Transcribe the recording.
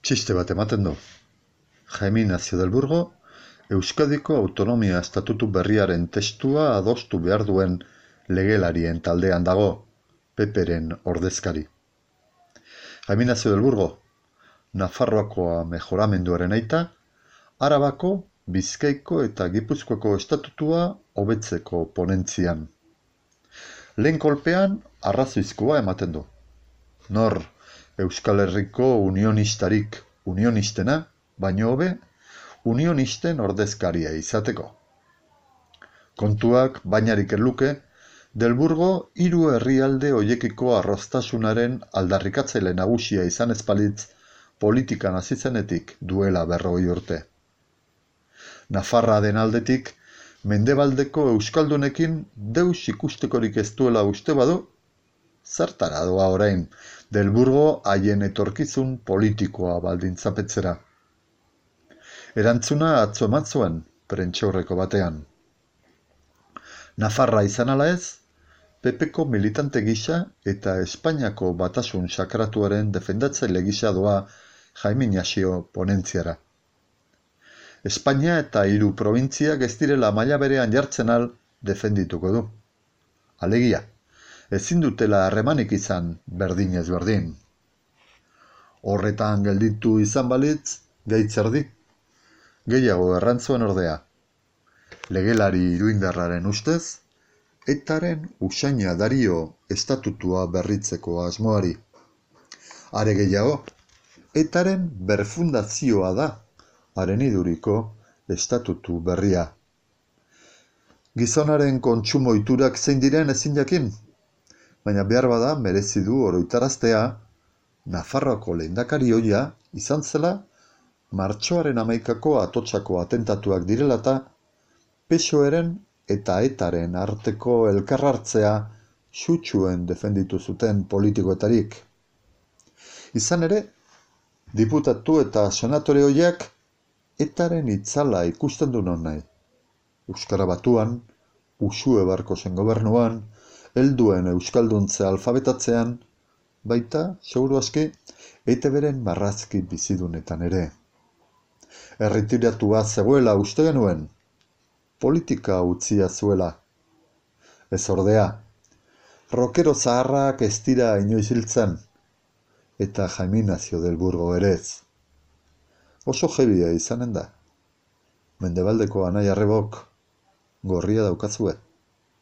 Txiste bat ematen du. Jaime Ignacio del Burgo, Euskadiko Autonomia Estatutu berriaren testua adostu behar duen legelarien taldean dago, PP-ren ordezkari. Jaime Ignacio del Burgo, Nafarroakoa mejoramenduaren aita, Arabako, Bizkaiko eta Gipuzkoako estatutua hobetzeko ponentzian. Lehen kolpean arrazoizkoa ematen du. Nor Euskal Herriko unionistarik unionistena, baino hobe unionisten ordezkaria izateko. Kontuak bainarik luke, Del Burgo hiru herrialde hoiekiko arroztasunaren aldarrikatzaile nagusia izan ezpalitz politikan hasi zenetik duela 40 urte. Nafarra den aldetik, mendebaldeko euskaldunekin deus ikustekorik ez duela uste badu, zertara doa orain Del Burgo haien etorkizun politikoa baldintzapetzera. Erantzuna atzo eman zuen prentsaurreko batean. Nafarra izan ala ez, PP-ko militante gisa eta Espainiako batasun sakratuaren defendatzaile gisa doa Jaime Ignacio ponentziara. Espainia eta 3 probintziak ez direla maila berean jartzen al defendituko du. Alegia, ezin dutela harremanik izan berdinez berdin. Horretan gelditu izan balitz, gaitzerdi. Gehiago errantzuen ordea. Legelari iruindarraren ustez, etaren usaina dario estatutua berritzeko asmoari. Are gehiago, etaren berfundazioa da, haren iduriko estatutu berria. Gizonaren kontsumo ohiturak zein diren ezin jakin, baina behar bada merezi du oroitaraztea, Nafarroako lehendakari ohia izan zela, martxoaren 11ko Atotzako atentatuak direlata, PSOE-ren eta etaren arteko elkarhartzea sutsuen defenditu zuten politikoetarik. Izan ere, diputatu eta senatore horiek etaren itzala ikusten du non nahi. Euskara Batuan, Uxue Barkosen gobernuan, helduen euskalduntze alfabetatzean, baita, seguru aski, ETB-ren marrazki bizidunetan ere. Erretiratua zegoela uste genuen, politika utzia zuela. Ez ordea, rokero zaharrak ez dira inoiz hiltzen, eta Jaime Ignacio del Burgo ere ez. Oso jebia izanen da. Mendebaldeko anai arrebok gorria daukazue.